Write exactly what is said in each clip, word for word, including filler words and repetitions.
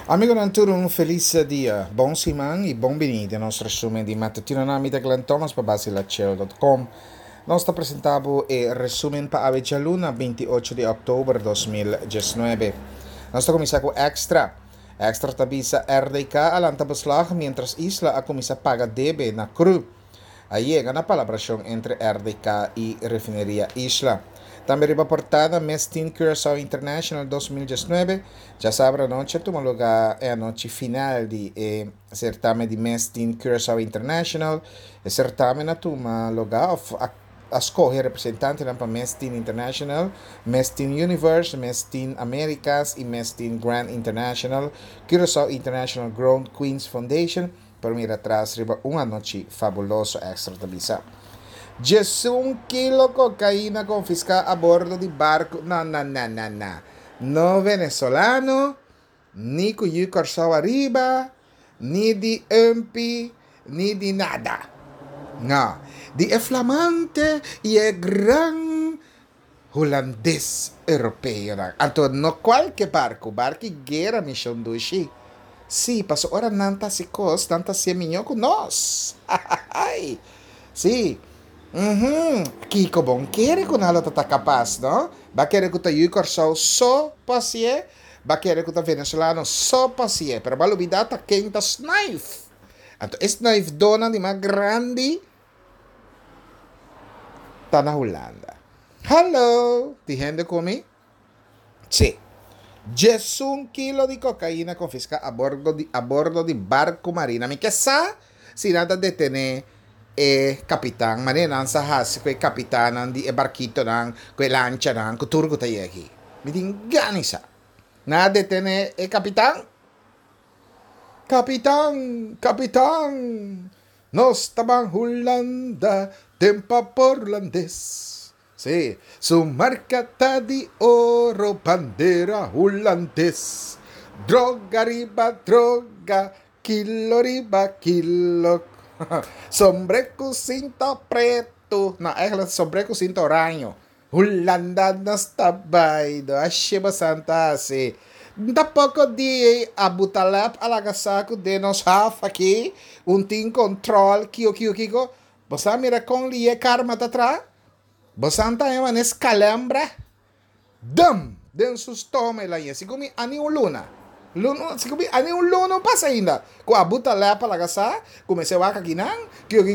Amigonan tur un felis dia, bon siman y bon bini den nos resumen di matutino. Na mi ta Glenn Thomas pa Basilachel dot com. Nos ta presenta bo e resumen pa awe djaluna binti i ocho di october dos mil diesnuebe. Nos ta cuminsa cu Extra. Extra ta bisa R D K a lanta beslag mientras Isla a cuminsa paga debe na C R U. A yega na palabracion entre R D K y Refineria Isla. Tambe riba portada Miss Teen Curaçao International dos mil diesnuebe. Djasabra anochi a tuma lugar e anochi final di e certamen di Miss Teen Curaçao International. E certamen a tuma lugar of a, a scoge representantenan pa Miss Teen International, Miss Teen Universe, Miss Teen Americas y Miss Teen Grand International, Curaçao International Grown Queens Foundation. Por mira atrás riba un anochi fabuloso, Extra ta bisa. Diesun kilo cocaína confiscada a bordo di barco. No, no, no, no, no. No venezolano, ni cu yu Curaçao arriba, ni di Umpi, ni di nada. No. Di e flamante y e gran holandés europeo. Anto, no cualquier barco, barco guerra misión dushi. Sí, paso ora nanta si cos, nanta si miño con nos. Ay, sí. Mhm. Kiko bon quiere con alo tata capaz, no? Va querer que ta yu Curaçao so pasie, va querer que ta venezolano so pasie, pero va olvidar ta ken ta snife. Anto snife dona di mas grandi ta na Holanda. Hallo, di gente comi? Sí. Diesun kilo di cocaína confisca a bordo di, a bordo di barco marina. Mi che sa si nada detene e capitán, ma ne nan sa hasi que capitán nan di e barquito nan, que lancha nan, que turco ta yeki. Mi din ganisa. Na detene e capitán? Capitán, capitán, nos taban Holanda, tempa por holandés. Sí, su marca ta di oro, bandera holandés. Droga riba droga, kilo riba kilo. Sombre cu cinta preto. No, eigenlijk sombre cu cinta oranje. Holanda nos tabaido. Ashiba santa si. Tampoco di Abu Taleb a la saco de nos half aqui. Un tin control. Kio, kio, kiko. Bosa mira con lie karma tatra. Bosa ta ema nes calambra. Dum. Den sus tome la ye. Sigumi ani un luna. Luna, sigumi ani un luna pasa ainda. Ku Abu Taleb a la gasa, comecei a waka kinan, kio, kio,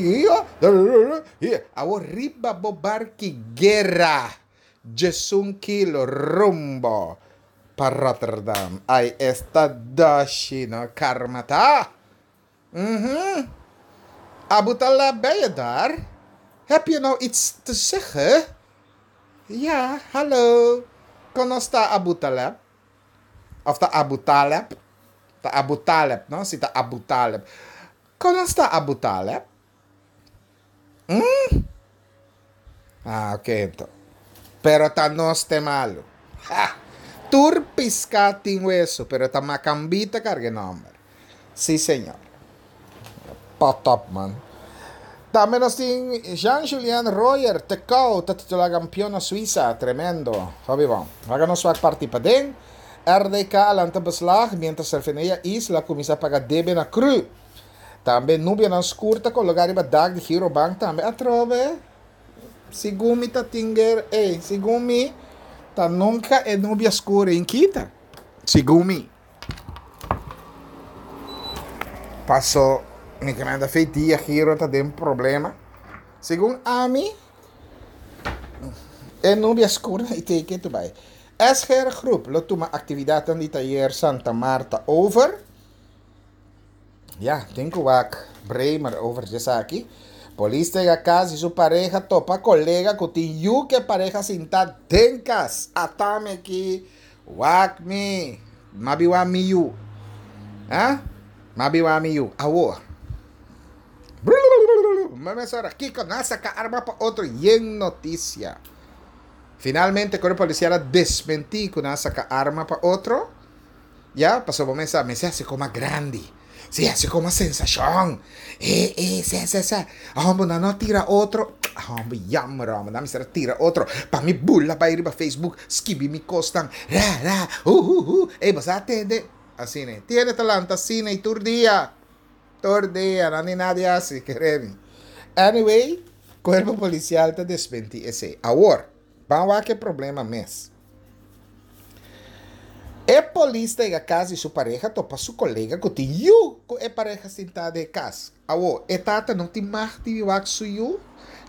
kio, kio, awo riba bo barki guerra. Diesun kilo rumbo pa Rotterdam. Ai, esta dashi no karma ta. Mhm. Abu Taleb, ben je daar? Heb je nou iets te zeggen? Ja, hallo. Kono sta Abu Taleb? Of ta Abu Taleb? Ta Abu Taleb, no? Si ta Abu Taleb. Kono sta Abu Taleb? Mm? Ah, ok, então. Pero ta no te malo. Ha! Tur pisca tin hueso, pero ta macambita cargue nombre. Sí, señor. Pot up, man. También nos tin Jean-Julien Royer, Tecau, ta titular campeón na Suiza. Tremendo. Fabi bom. Haga nos swak party pa den. R D K alanta beslag, mientras Refineria Isla comienza a pagar debe na C R U. También nubia na curta con lugar iba dag de Giro Bank también atrove. Según mi ta tinger, eh, según mi ta nunca é nubia escura em quita. Según mi. Passou, mi que manda feitia Giro ta den problema. Según a mi, é nubia escura e tem que tu vai. S G R Groep lo toma actividad en die taller Santa Marta over. Ja, tengo wak Bremer over Jesaki. Polis llega casa y su pareja topa colega con yu que pareja sinta denkas. Atame aquí. Wak mi. Mabi wa mi yu. ¿Ah? Mabi wa mi yu. Awo. Mame sora Kiko nasa ka arma pa otro yen noticia. Finalmente, el cuerpo policial desmentí que una saca arma pa otro. Ya, pasó por mesa, me se hace como grande. Se hace como sensación. Eh, eh, se, se, se. Hombre, no, no tira otro. Hombre, jammer, hombre, dame se tira otro. Pa mi bula, pa ir pa Facebook, skibi mi costan. Ra, ra, uh, uh, uh. Eh, vas a atender. Asina, tin ta lanta asina i tur dia. Tur dia, no tin nada asina, kere mi. Anyway, kuerpo polisial ta desmentí esei. Awor, ban wak e problema mes. E polis ta yega kas di su pareha topa su kolega ku tin yu ku e pareha sintá den kas. Awor, e tata no tin mag di wak su yu?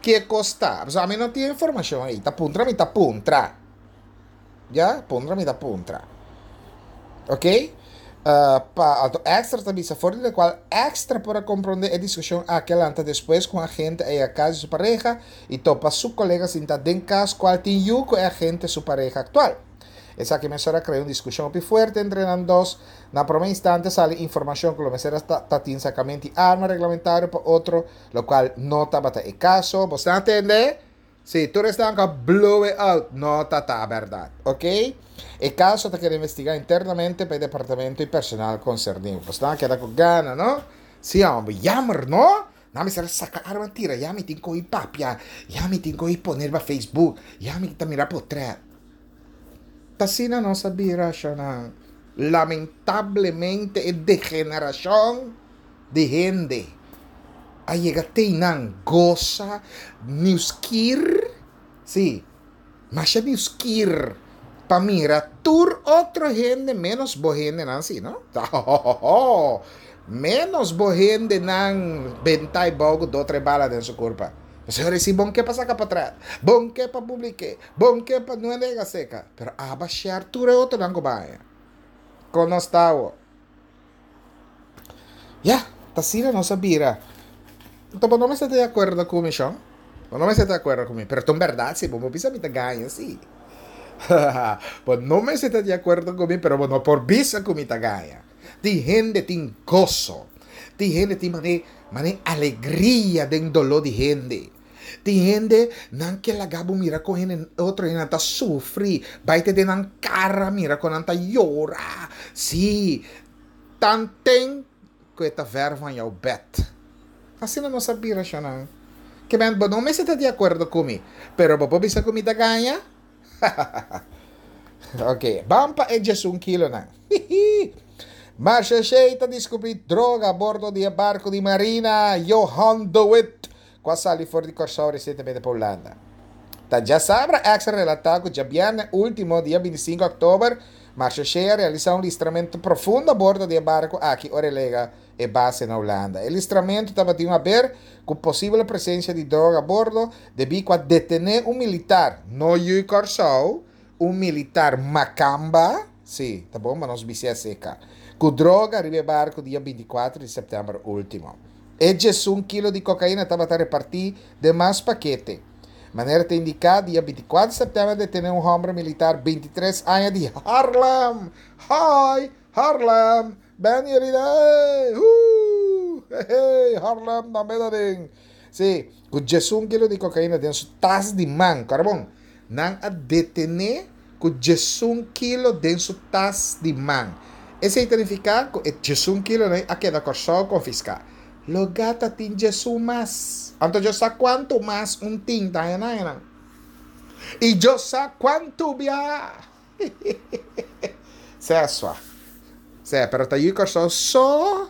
Ki kos ta? So, ami no tin informashon ei. Ta puntra mi ta puntra. Ya? Puntra mi ta puntra. Ok? Uh, pa anto Extra ta bisa for di kual Extra por a komprondé e diskushon aki a lanta despues ku agente a yega kas di su pareha i topa su kolega sintá den kas kual tin yu ku e agente su pareha aktual. Esaki mesora a krea un diskushon hopi fuerte entre nan dos. Na promé instante a sali informashon ku lo mester a tin sakamentu di arma reglamentario pa otro, lokual no tabata e kaso. Bo ta tende? Sí, tur esnan ku a blow it out. No ta bèrdat. Ok? E kaso ta keda investigá internamente pa e departamento i personal konserní. Bo ta keda ku gana, no? Sí, hòmber, jammer, no? Nan mester saka arma tira, ya mi tin ku papia, ya mi tin ku pone na Facebook, ya mi ta mira portrèt. T'asina nos a bira, lamentablemente e degenerashon di hende. A yega te nan gosa nieuwsgier, sí, mas nieuwsgier pa mira tur otro hende menos bo hendenan sí, no? Menos bo hendenan bentá bou ku dos tres bala den su kurpa. Señor, si bo n' ke pa saka portrèt, bo n' ke pa publiká, bo n' ke pa no nega seka, pero aba share tur otronan ku bai. Kon nos ta? Ya, t'asina nos a bira. Anto, no ta di akuerdo ku mi, Sean? No ta di akuerdo ku mi, pero ta bèrdat, sí, bo bisa mi ta gaña, sí. Bo no ta di akuerdo ku mi, pero no por bisa ku mi ta gaña. Tin hende tin goso. Tin hende tin mane, mane alegria den doló di hende. Tin hende nan ke laga bo mira kon hende otro hende ta sufri, bai te den nan kara mira kon nan ta yora. Sí, tanten ku ta ver van jouw bed. Asina nos a bira nan. Ke men, bo no ta di akuerdo ku mi, pero bo bisa ku mi ta gaña? Ok, ban pa e un kilo nan. Marechaussee ta deskubrí droga a bordo di barku di Marina Johan de Witt, ku a sali for di Kòrsou resientemente pa Hulanda. Ta djasabra Extra a relatá ku djabièrnè último, dia bintisinku di òktober, Marechaussee a realisá un listramentu profundo a bordo di e barku aki ora el a yega e base na Hulanda. E listramentu tabatin di aber ku posibel presensia di droga a bordo, debí ku a detené un militar, no yu'i Kòrsou, un militar makamba, sí, ta bon, ma nos bis'é seka, ku droga riba e barku dia bintikuater di sèptèmber último. E un kilo di kokaina tabata repartí den mas pakete. Manera ta indiká, dia bintikuater di sèptèmber a detené un hòmber militar bintitres aña di Haarlem. Hi, Haarlem. Ben jullie daar? Uh, hey, Haarlem, dan ben ding. Sí, ku un kilo di kokaina den su tas di man, karbon. Nan a detené ku un kilo den su tas di man. Esei ta nifiká ku un kilo a keda Kòrsou konfiská. Lugá ta tin un mas. Anto Dios sa kuantu mas un tin ta na. I Dios sa kuantu bia. Sesua. Sí, pero ta yu Kòrsou so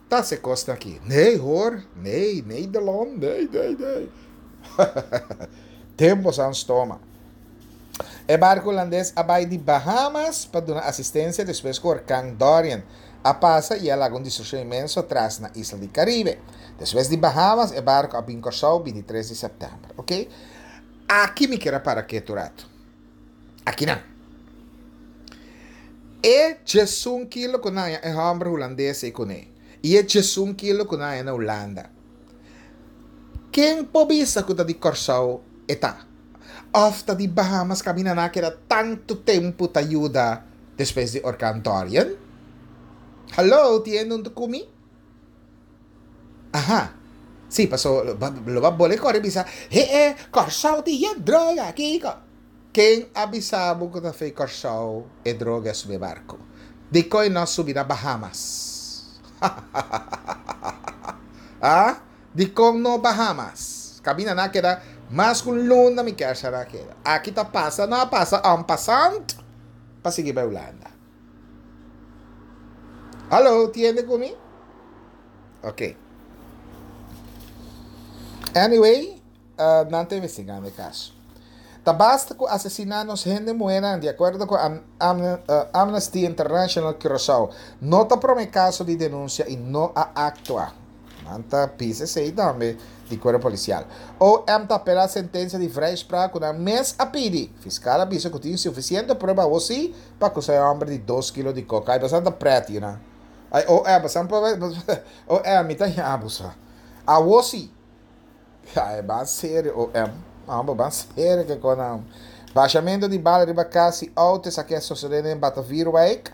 ta se kosta aki. Nee hoor, nee, Nederland, nee, nee, nee. Tempo san stoma. E barku hulandes a bai di Bahamas pa duna asistensia despues ku orkan Dorian a pasa i a laga un destrukshon inmenso atras na isla di Karibe. Despues di Bahamas, e barku a bin Kòrsou bintitres di sèptèmber, ok? Aki mi ke para ketu ratu. Aki no. E un kilo ku nan e hòmber hulandes ei kuné. I e un kilo ku nan na Hulanda. Ken por bisa ku ta di Kòrsou e ta? Òf ta di Bahamas kaminda nan a keda tantu tempu ta yuda despues di orkan Dorian? Hallo, tin un ku mi? Aha. Sí, pasó, lo ba bole kore bisa, he eh, Kòrsou tin droga aki. Ken a bisa bo ku ta fo'i Kòrsou e droga a subi barku? Dikon no a subi na Bahamas? Ah? Dikon no Bahamas? Kaminda nan a keda mas ku luna mi ke na keda. Aki ta pasa, no pasa en passant pa sigui pa Hulanda. Hallo, tiende ku mi? Ok. Anyway, uh, nan ta investigando e kaso. Ta basta ku asesiná nos hende muhénan, di akuerdo ku Am Am uh, Amnesty International Curaçao. No ta promé kaso di denunsia i no a aktua. Nan ta pisa esei tambe di kuerpo polisial. O M ta apelá sentensia di vrijspraak ku nan mes a pidi. Fiskal a bisa ku tin sufisiente prueba sí pa akusá e hòmber di dos kilo di koka. Ai, bastante pretty, no? Ai, O M, bastante O M, mi ta abusa. Awor sí. Ai, ban serio, O M. Ah, ban serio ku kon. Bashamentu di bala riba kas i outo, esaki a sosodé na Batavierwijk.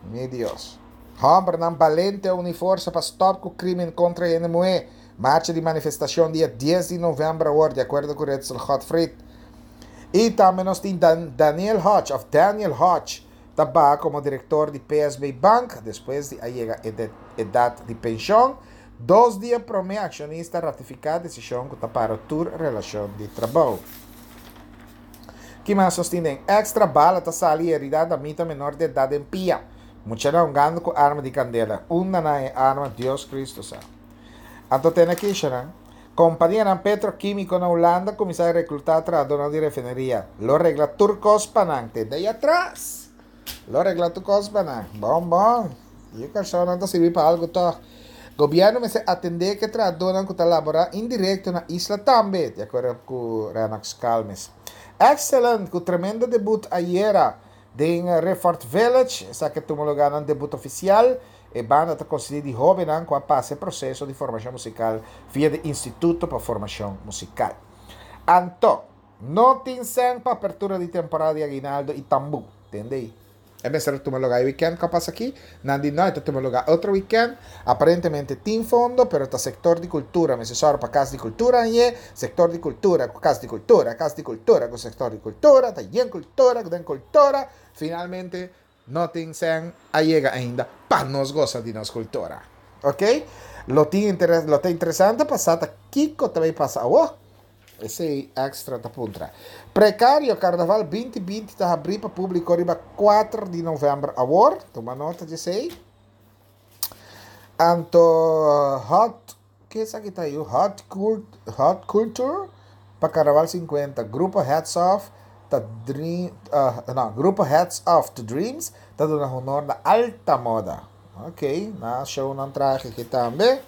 Mi Dios. Hòmbernan balente uni forsa pa stòp ku krímen kontra hende muhé. Marcha di manifestashon dia dies di novèmber awor, di akuerdo ku Ritzel Godfried. I tambe nos tin Dan Daniel Hodge, òf Daniel Hodge, ta komo direktor di P S B Bank, despues di a yega edat di penshun. Dos dia promé akshonista ratifiká desishon ku ta para tur relashon di trabou. Ki mas nos tin? Extra bala ta sali herida damita menor di edat den pia. Muchanan hungando ku arma di kandela. Unda nan a arma, Dios Kristu sa. Anto tin aki, no? Kompania petrokímiko na Hulanda kuminsá reklutá trahadó di refineria. Lo regla tur kos pa nan. Di atras. Lo regla tur kos pa nan. Bon, bon. E persona no ta sirbi pa algu toch. Gobièrnu mester atendé ku trahadó ku ta laborá indirekto na isla tambe, di akuerdo ku Rennox Calmes. Excellent, ku tremendo debut ayera den Refort Village, esaki a tuma lugá nan debut ofisial, e banda ta konsistí di hóbennan ku a pasa e proseso di formashon musikal via di Instituto pa Formashon Musikal. Anto, no tin sèn pa apertura di temporada di aguinaldo i tambú, entendé? E mester tuma lugá weekend ku pasa aki, nan di no, ta tuma lugá otro weekend. Aparentemente tin fondo, pero ta sektor di kultura, mester sòru pa kas di kultura e sektor di kultura, kas di kultura, kas di kultura, ku sektor di kultura, ta yen kultura, den kultura. Finalmente no tin sèn a yega ainda pa nos gosa di nos kultura. Ok? Lo tin interes, lo ta interesante pasa kiko tambe pasa awor. Esei Extra ta puntra. Prekario Karnaval dos mil binti ta habrí pa públiko riba kuater di novèmber awor. Tuma nota di esei. Anto hot, kiko esaki ta ei? Hot, cult, hot Culture pa Karnaval sinkuenta. Grupo Hats Off ta dream, uh, no, Grupo Hats Off to Dreams ta duna honor na alta moda. Ok, na show nan trahe aki tambe.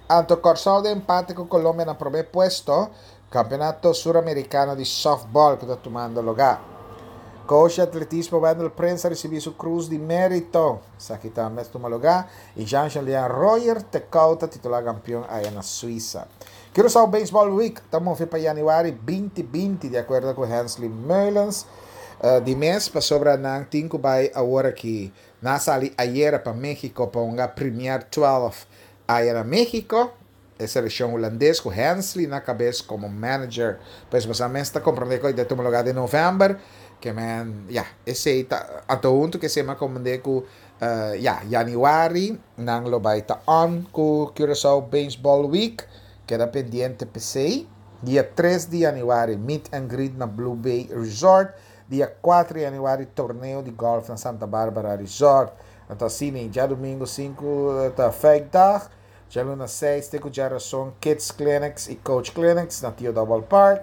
Anto Kòrsou den empate ku Colombia na promé puesto. Kampeonato Suramerikano di Softball ku ta tumando lugá. Coach di atletismo Wendell Prince a risibí su krus di mérito. Esaki tambe ta tuma lugá. I Jean-Julien Royer Tecauta titulá kampeon ei na Suisa. Curaçao Baseball Week, ta move pa yanüari dos mil binti, di akuerdo ku Hensley Meulens. Uh, di mes pasobra nan tin ku bai awor aki. Nan a sali ayera pa México pa un Premier dos ei na México. E selekshon hulandes ku Hensley na kabes komo manager. Pues bo mes ta komprondé ku ta tuma lugá den novèmber. Ke men, ja, esei ta anto huntu ku esei m'a komprondé ku uh, ja, yanüari nan lo bai ta on ku Curaçao Baseball Week. Keda pendiente p'esei. Dia tres di yanüari, meet and greet na Blue Bay Resort. Dia kuater di yanüari, torneo di gòlf na Santa Barbara Resort. Anto asina, djadumingu sinku ta Feikdag. Djaluna seis, te ku djarason, Kids Clinics i Coach Clinics na Tio Double Park.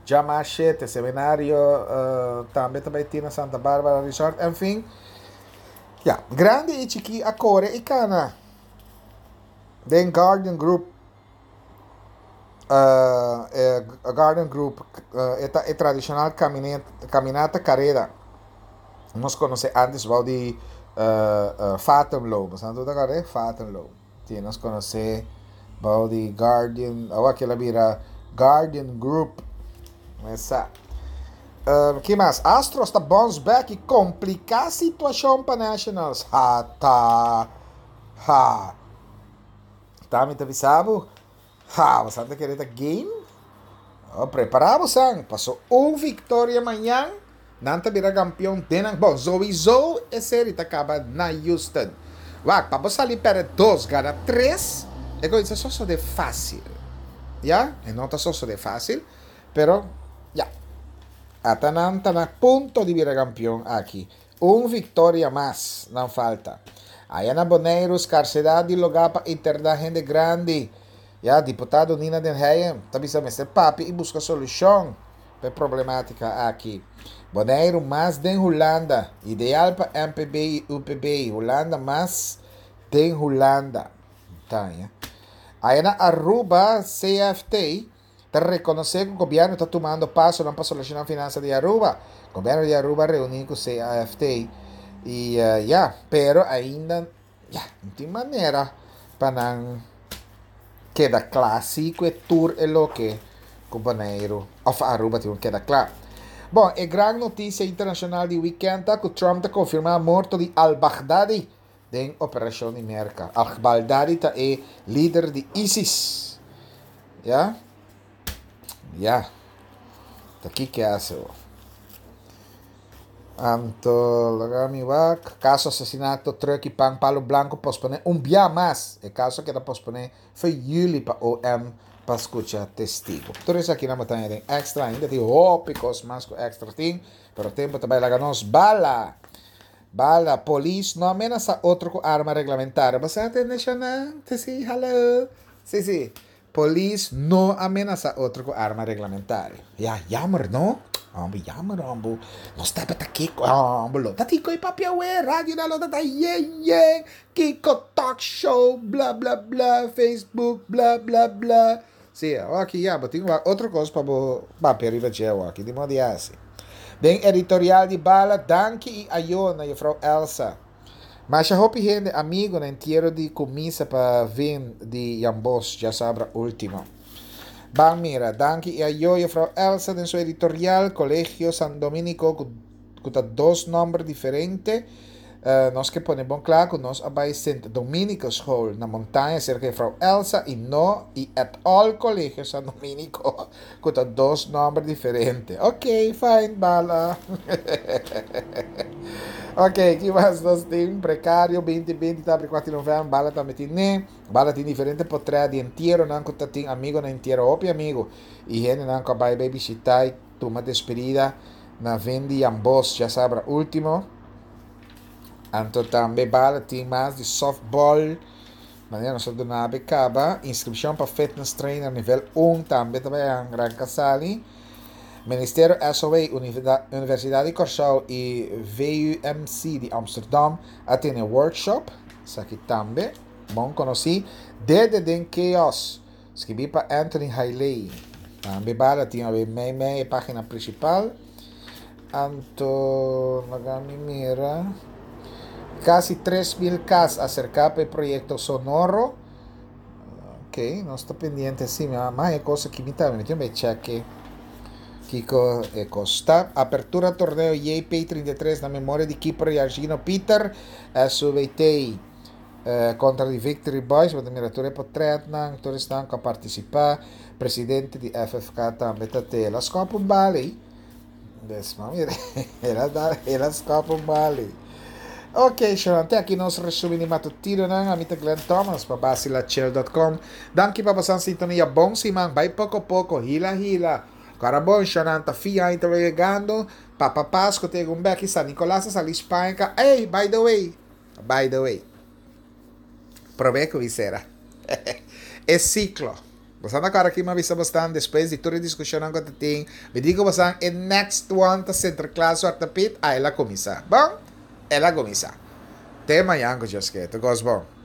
Djamars shete, seminario uh, tambe tambe tin na Santa Barbara Resort. En fin, ja, grandi i chikí a kore i kana. Den Guardian Group uh, eh, Guardian Group uh, e, e tradishonal kaminata, kaminata kareda. Nos konosé antes bou di uh, uh, Fatum. Bo ta kòrda? Fatum. Si, nos konosé bou di Guardian, awor ku el a bira Guardian Group. Esei. Uh, ki mas? Astros ta bounce back i kompliká situashon pa Nationals. Ha, ta. Ha. Ta, mi ta bisa bo? Ha, bo ta kere ta game? Oh, prepará bo. Pasó un viktoria mañan, nan ta bira kampeon. Den, bon, sowieso e serie ta kaba na Houston. Wak, pa sali pèrdè dos, gana tres, e kos so di fásil. Ja? E no ta so di fásil, pero ja. Ata nan ta na punto di bira kampeon aki. Un viktoria mas nan falta. Aya na Boneiru, skarsedat di lugá pa interná hende grandi. Ya, diputado Nina den Heyer ta bisa mester papia i buska solushon pa e problemátika aki. Boneiru mas den Hulanda, ideal pa M P B i U P B. Hulanda mas den Hulanda. Ta, ya. Aya na Aruba, C F T ta rekonosé ku gobièrnu ta tumando paso pa solushoná finansa di Aruba. Gobièrnu di Aruba a reuní ku C F T i uh, ya, pero ainda ya, no tin manera pa nan keda kla ku e tur e loke ku Boneiru òf Aruba tin keda kla. Bon, e gran notisia internashonal di weekend ta ku Trump a konfirmá morto di al-Baghdadi den operashon di Merka. Al-Baghdadi ta e lider di ISIS. Ya? Ya. Ta aki ku hasi. Anto, laga mi wak. Kaso asesinato, truck i pan, palo blanku, posponé un dia mas. E kaso a keda posponé for yüli pa O M pa skucha testigu. Tur esaki na montaña tin Extra, ainda tin hopi kos mas ku Extra tin, pero tempu tambe laga nos bala. Bala, polis no a menasá otro ku arma reglamentario. Bo a tende, sí, hello. Sí, sí. Polis no a menasá otro ku arma reglamentario. Ja, jammer, no? Hombre, jammer, hombre. Nos tabata kiko, hombre. Lo ta kiko i papia we, radio na lo ta ye ye. Kiko talk show, bla bla bla, Facebook, bla bla bla. Sí, aki ya, tin otro kos pa bo papia riba dje aki, di moda asina. Den editorial di Bala, danki i ayo na juffrouw Elsa. Masha hopi hende amigu na entiero di kumisa pa Vin di Jambos, djasabra último. Ban mira, danki i ayo juffrouw Elsa den su editorial, Kolegio San Dominico, ku ta dos nòmber diferente. Uh, nos ke pone bon kla ku nos a bai Sint Dominico School na Montaña serka di juffrouw Elsa i no i at all Kolegio San Dominico, ku ta dos nòmber diferente. Ok, fine, Bala. Ok, ki mas nos tin? Prekario dos mil binti ta kuater di novèmber, Bala tambe tin ne. Bala tin diferente potrèt di entiero nan ku tin amigu na entiero, hopi amigu. I hende nan ku bai bishitá i tuma despedida na Vendi Ambos, djasabra último. Anto tambe Bala tin mas di softball. Manera nos duna kaba. Inskripshon pa fitness trainer nivel un tambe tambe Gran Casali. Ministerio S O A, Universidat di Kòrsou i V U M C di Amsterdam a tene workshop. Esaki tambe, bon konosí. Dede den Chaos, skirbí pa Anthony Hailey. Tambe Bala tin mei mei página prinsipal. Anto, laga mi mira. Kasi tres mil kas aserká pa e proyekto Sonoro. Ok, nos ta pendiente sí, mas kos ku mi tambe, mi check kiko kosta. Apertura torneo J P trinta i tres na memoria di keeper Yargino Peter, S U B T eh, kontra di Victory Boys, bo mira tur e potrètnan, tur esnan ku a partisipá, presidente di F F K tambe ta te, el a skòp un bala. Des, mira, el a el a skòp un bala. Ok, Sharon, te aki nos resumen matutino nan, ami ta Glenn Thomas, pa basilachel punto com. Danki pa boso sintonia. Bon siman, bai poko poko, hila hila. Carabon, Sharon, ta fia ta yegando. Papa Pasco tem um beck San Nicolás, sali Espanha. Hey, by the way, by the way. Promé ku sera e siklo. Boso awor aki mi a bisa bastante despues di tur e diskushon ku tin. Mi di boso e next one ta Sinterklaas, Zwarte Piet, ei el a kuminsá. Bon, el a kuminsá. Te mañan ku Dios ke. Tur bon.